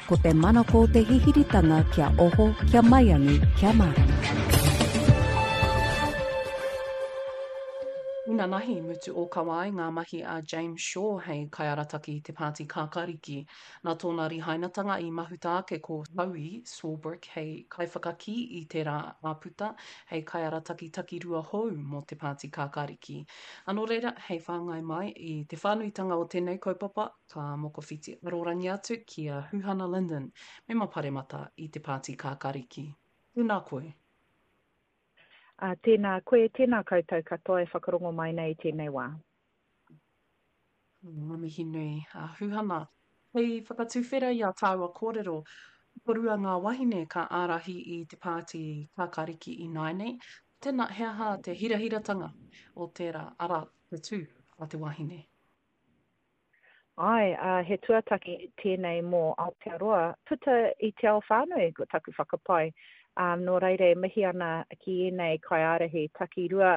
Ko te manako o te hihiritanga kia oho, kia maiangi, kia mārama. Inanahi, mutu ōkawa ai ngā mahi a James Shaw hei kaiarataki i te Pāti Kākāriki. Nā tōna rihainatanga i mahuta ake ko Zoe Swarbrick hei kaiwhakakī i tērā āputa hei kaiarataki takirua hou mō te Pāti Kākāriki. Ā, nō reira, hei whāngai mai i te whānuitanga o tēnei kaupapa, Ka mokowhiti arorangi atu ki a Huhana Lyndon, mema paremata i te Pāti Kākariki. Tēnā koe. Ā, tēnā koe, tēnā koutou katoa e whakarongo mai nei i tēnei wā. Ngā mihi nui, a Huhana. Hei whakatuwhera i a tāua kōrero, tokorua ngā wahine ka ārahi i te Pāti Kākariki ināianei. Tēnā, he aha te hirahiratanga o tērā, arā, te tū a te wahine? Āe, ā, he tuataki tēnei mō Aotearoa, puta i te ao whānui, ko taku whakapae. Ā, nō reira e mihi ana ki ēnei kaiārahi takirua,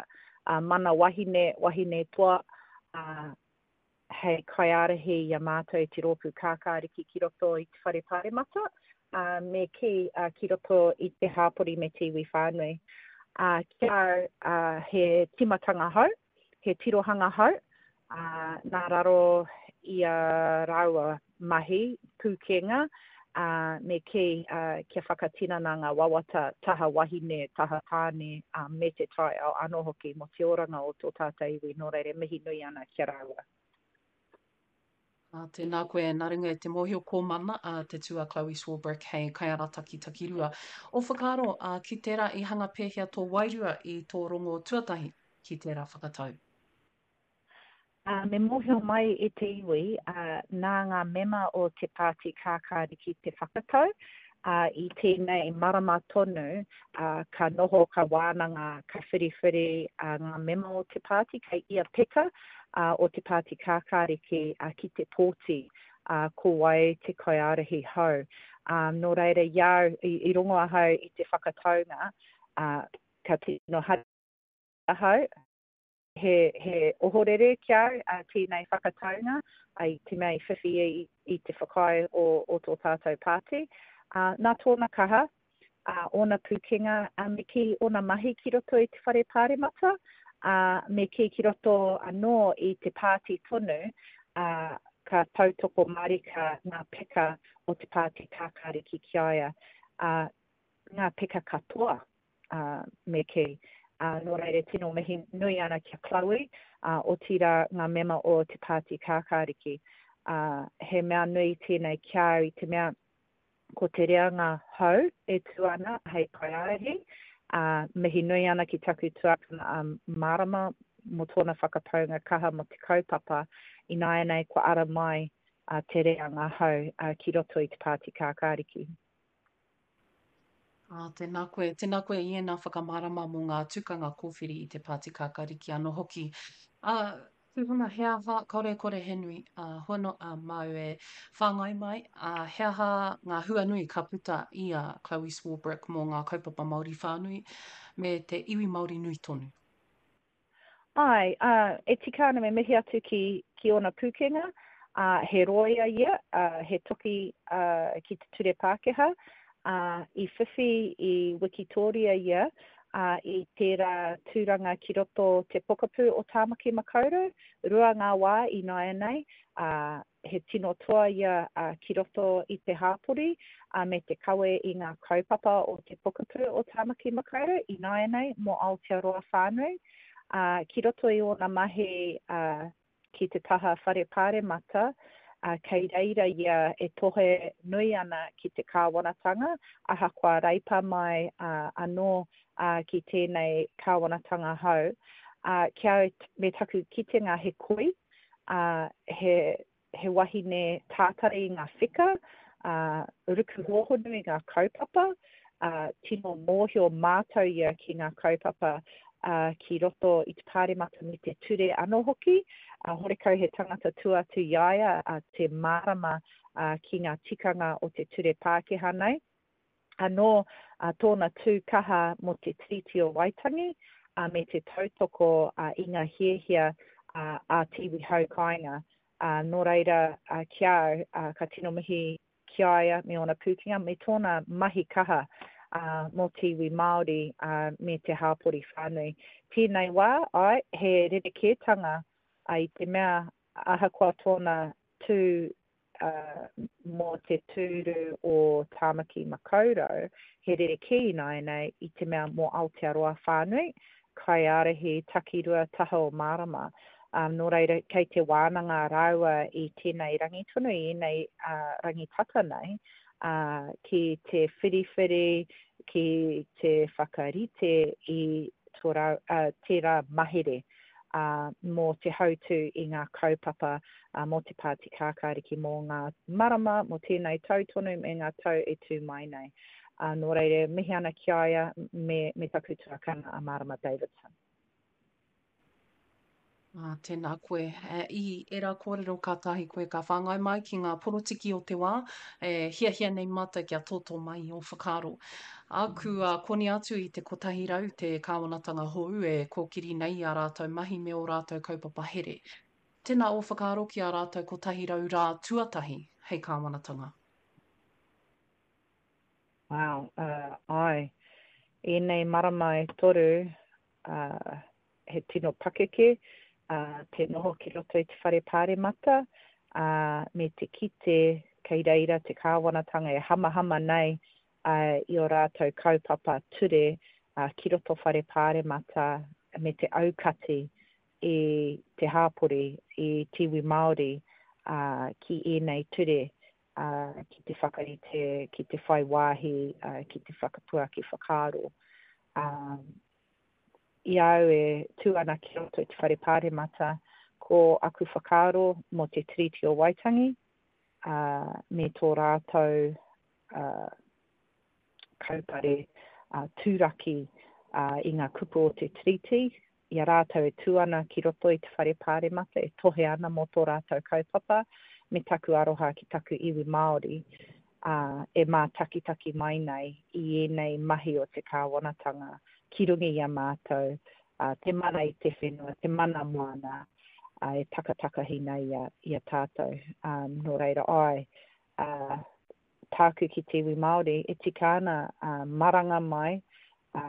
ā, mana wahine, wahine toa, ā, hei kaiārahi i a mātou i te Rōpū Kākāriki ki roto i te Whare Pāremata, ā, me kī, ā, ki roto i te hāpori me te iwi whānui. Ā, ki a au, ā, he tīmatanga hou, he tirohanga hou, ā, nā raro i a rāua mahi, pūkenga, ā, me kī, ā, kia whakatinana ngā wawata taha wahine, taha tāne, ā, me te taiao anō hoki mō te oranga o tō tātou iwi, nō reira e mihi nui ana ki a rāua. Ā, tēnā koe, nā runga i te mōhio ko Mana, ā, te tū a Chloe Swarbrick hei kaiarataki takirua. Ō whakaaro, ā, ki tērā i hanga pēhea tō wairua i tō rongo tuatahi ki tērā whakatau? Ā, me mōhio mai e te iwi, ā, nā ngā mema o te Pāti Kākāriki te whakatau, ā, i tēnei marama tonu, ā, ka noho, ka wānanga, ka whiriwhiri, ā, ngā mema o te pāti kei ia peka, ā, o te Pāti Kākāriki, ā, ki te pōti, ā, ko wai te kaiārahi hou. Ā, nō reira, i a au, i, i rongo ahau i te whakataunga, ā, ka tino hari ahau, he, he ohorere ki a au, ā, tēnei whakataunga, ā, i te mea i whiwhi i, i te whakaae o, o tō tātou pāti. Ā, nā tōna kaha, ā, ōna pūkenga, ā, me kī, ōna mahi ki roto i te whare pāremata, ā, me kī ki roto anō i te pāti tonu, ā, ka tautoko mārika ngā peka o te Pāti Kākāriki ki a ia, ā, ngā peka katoa, ā, me kī. Ā, nō reira tino mihi nui ana ki a Chloe, ā, otirā ngā mema o te Pāti Kākāriki. Ā, he mea nui tēnei ki a au i te mea, ko te reanga hou e tū ana hei kaiārahi, ā, mihi nui ana ki taku tuakana a Marama mō tōna whakapaunga kaha mō te kaupapa, ināianei kua ara mai te reanga hou ki roto i te Pāti Kākāriki. Ā, tēnā koe, tēnā koe i ēnā whakamārama mō ngā tukanga kōwhiri i te Pāti Kākāriki anō hoki. Ā, Tūhuna, he aha, kāore e kore he nui, ā, hono, ā, māu e whāngai mai, ā, he aha ngā hua nui ka puta i a Chloe Swarbrick mō ngā kaupapa Māori whānui me te iwi Māori nui tonu? Āe, ā, e tika ana me mihi atu ki, ki ōna pūkenga, ā, he rōia ia, ā, he toki, ā, ki te ture Pākehā, ā, i whiwhi i wikitōria ia, ā, i tērā tūranga ki roto te pokapū o Tāmaki Makaurau, rua ngā wā ināianei, ā, he tino toa ia, ā, ki roto i te hāpori, ā, me te kawe i ngā kaupapa o te pokapū o Tāmaki Makaurau ināianei mō Aotearoa whānui, ā, ki roto i ōna mahi, ā, ki te taha whare pāremata, ā, kei reira ia e tohe nui ana ki te kāwanatanga, ahakoa reipa mai anō ki tēnei kāwanatanga hou. Ā, ki a au, me taku kitenga he koi, ā, he, he wahine tātari i ngā wheka, ā, ruku hōhonu i ngā kaupapa, ā, tino mōhio mātau ia ki ngā kaupapa, ā, ki roto i te Pāremata me te ture anō hoki, ā, horekau he tangata tua atu i a ia, ā, te mārama, ā, ki ngā tikanga o te ture Pākehā nei. Anō, ā, tōna tū kaha mō te Tiriti o Waitangi, ā, me te tautoko, ā, i ngā hiahia, ā, a te iwi hau kāinga. Ā, nō reira, ā, ki a au, ā, ka tino mihi. ki a ia me ōna pūkenga me tōna mahi kaha mō te iwi Māori me te hāpori whānui. Tēnei wā, āe, he rerekētanga i te mea ahakoa tōna tū mō te tūru o Tāmaki Makaurau, he rerekē ināianei i te mea mō Aotearoa whānui, kaiārahi takirua taha o Mārama. Nō reira, kei te wānanga rāua i tēnei rangi tonu, i ēnei rangi tata nei, ki te whiriwhiri, ki te whakarite i tō rā, tērā mahere mō te hautū i ngā kaupapa mō te Pāti Kākāriki mō ngā marama, mō tēnei tau tonu me ngā tau e tū mai nei. Nō reira, mihi ana ki a ia me, me taku tuakana a Marama Davidson. Ā, tēnā koe. I ērā kōrero kātahi koe ka whāngai mai ki ngā porotiki o te wā, e hiahia nei mātou kia tōtō mai i ō whakaaro. Ā, kua koni atu i te 100 te kāwanatanga hou e kōkiri nei i ā rātou mahi me ō rātou kaupapa here. Tēnā ō whakaaro ki ā rātou 100 rā tuatahi hei kāwanatanga. Wow, uh, āe. Ēnei marama e toru, uh, he tino pakeke uh, te noho ki roto i te whare pāremata, uh, me te kite kei reira te kāwanatanga e hamahama nei uh, i o rātou kaupapa ture uh, ki roto whare pāremata me te aukati i te hāpori, i te iwi Māori uh, ki ēnei ture uh, ki te whakarite, ki te whai wāhi, uh, ki te whakapuaki whakaaro. Uh, I a au e tū ana ki roto i te Whare Pāremata, ko aku whakaaro mō te Tiriti o Waitangi, ā, me tō rātou, ā, kaupare, ā, tūraki, ā, i ngā kupu o te Tiriti, i a rātou e tū ana ki roto i te Whare Pāremata, e tohe ana mō tō rātou kaupapa, me taku aroha ki taku iwi Māori, ā, e mātakitaki mai nei i ēnei mahi o te kāwanatanga ki runga i a mātou, ā, te mana i te whenua, te mana moana, ā, e takatakahi nei i a, i a tātou. Ā, nō reira, āe, ā, tāku ki te iwi Māori, e tika ana, ā, maranga mai, ā,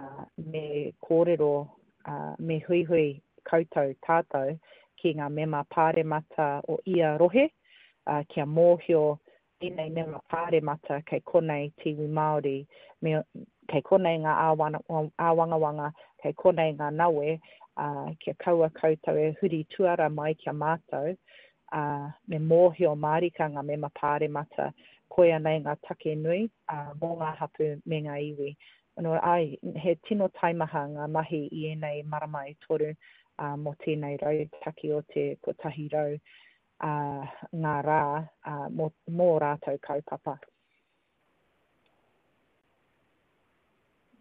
me kōrero, ā, me huihui koutou, tātou, ki ngā mema pāremata o ia rohe, ā, kia mōhio Tēnei mema pāremata kei konei te iwi Māori, me, kei konei ngā āwangawanga, kei konei ngā nawe, ā, kia kaua koutou e huri tuara mai ki a mātou, ā, me mōhio mārika ngā mema pāremata, koia nei ngā take nui, ā, mō ngā hapū me ngā iwi. Nō, āe, he tino taimaha ngā mahi i ēnei marama e toru, ā, mō tēnei rautaki o te 100 ā, ngā rā, ā, mō, mō rātou kaupapa.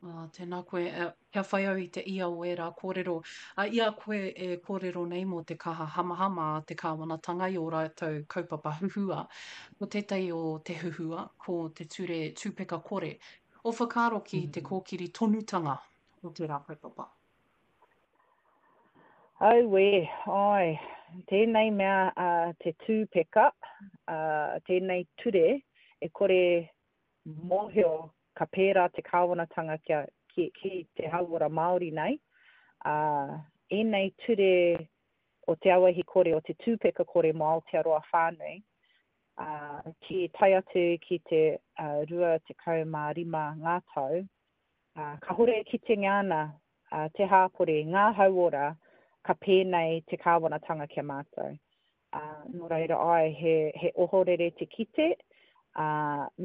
Ā, tēnā koe. Kia whai au i te ia o ērā kōrero. Ā, i a koe e kōrero nei mō te kaha hamahama a te kāwanatanga i ō rātou kaupapa huhua, ko tētahi o te huhua, ko te ture tūpeka kore. Ō whakaaro ki te kōkiri tonutanga o tērā kaupapa? Auē, āe, tēnei mea a te tūpeka, a, tēnei ture e kore mōhio ka pērā te kāwanatanga kia, ki, ki te hauora Māori nei, ā, ēnei ture o te auahi kore, o te tūpeka kore mō Aotearoa whānui, ā, ki tae atu ki te 25 ngā tau, ā, kāhore e kitengia ana te hāpori, ngā hauora, ka pēnei te kāwanatanga ki a mātou. Ā, nō reira, āe, he, he ohorere te kite, ā,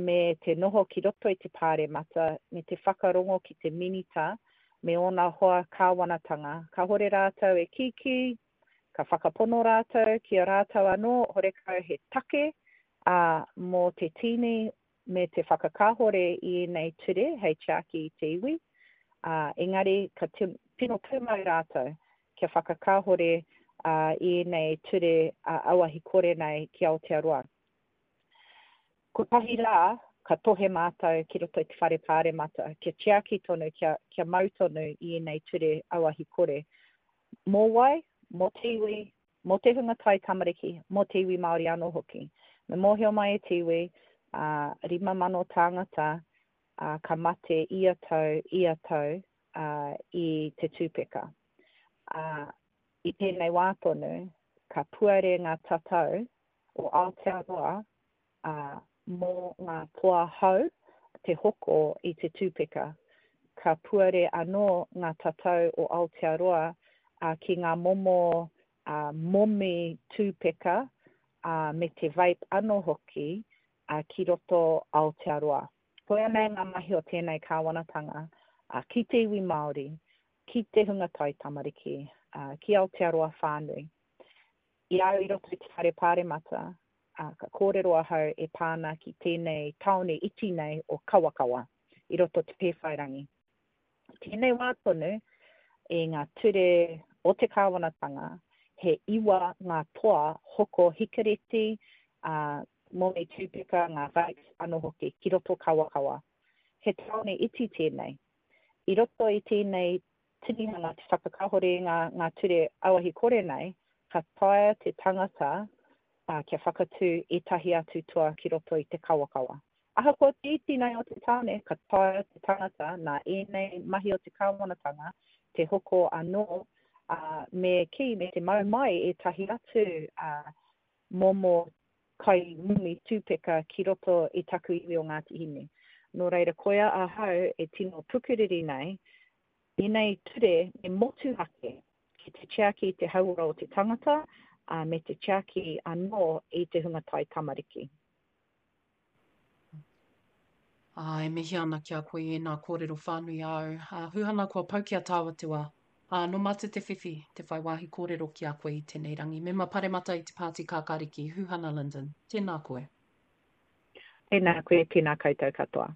me te noho ki roto i te pāremata, me te whakarongo ki te minita me ōna hoa kāwanatanga, kāhore rātou e kīkī, ka whakapono rātou ki a rātou anō, horekau he take, ā, mō te tīni me te whakakāhore i ēnei ture hei tiaki i te iwi, ā, engari ka tino pūmau rātou kia whakakāhore i ēnei ture auahi kore nei ki Aotearoa. Kotahi rā ka tohe mātou ki roto i te Whare Pāremata kia tiaki tonu, kia, kia mau tonu i ēnei ture auahi kore. Mō wai? Mō te iwi, Mō te hunga taitamariki, mō te iwi Māori anō hoki. Me mōhio mai e te iwi, Ā, 5,000 tāngata, ā, ka mate ia tau, ia tau, ā, i te tūpeka. Ā, i tēnei wā tonu, ka puare ngā tatau o Aotearoa, ā, mō ngā toa hou te hoko i te tūpeka. Ka puare anō ngā tatau o Aotearoa ā, ki ngā momo ā, momi tūpeka, ā, me te vape anō hoki, ā, ki roto Aotearoa. Koia nei ngā mahi o tēnei kāwanatanga, ā, ki te iwi Māori, ki te hunga taitamariki, ā, ki Aotearoa whānui. I a au i roto i te whare pāremata, ā, ka kōrero ahau e pā ana ki tēnei tāone iti nei o Kawakawa, i roto Te Pēwhairangi. I tēnei wā tonu, i ngā ture o te kāwanatanga, he iwa ngā toa hoko hikareti, ā, momi tūpeka, ngā vapes anō hoki, ki roto Kawakawa. He tāone iti tēnei. I roto i tēnei tinihanga te whakakahore i ngā, ngā ture auahi kore nei, ka taea te tangata ā, kia whakatū ētahi atu toa ki roto i te kawakawa. Ahakoa te iti nei o te tāone, ka taea te tangata nā ēnei mahi o te kāwanatanga te hoko anō, ā, me kī, me te mau mai ētahi atu, ā, momo kai mimi tūpeka ki roto i taku iwi o Ngāti Hine. Nō reira, koia ahau e tino pukuriri nei, ēnei ture me motuhake ki te tiaki i te hauora o te tangata, ā, me te tiaki anō i te hunga taitamariki. Ā, e mihi ana ki a koe i ēnā kōrero whānui āu. Ā, Huhana, kua pau ki a tāua te wā. Ā, nō mātou te whiwhi, te whai wāhi kōrero ki a koe i tēnei rangi. Mema Paremata i te Pāti Kākāriki, Huhana Lyndon, tēnā koe. Tēnā koe, tēnā koutou katoa.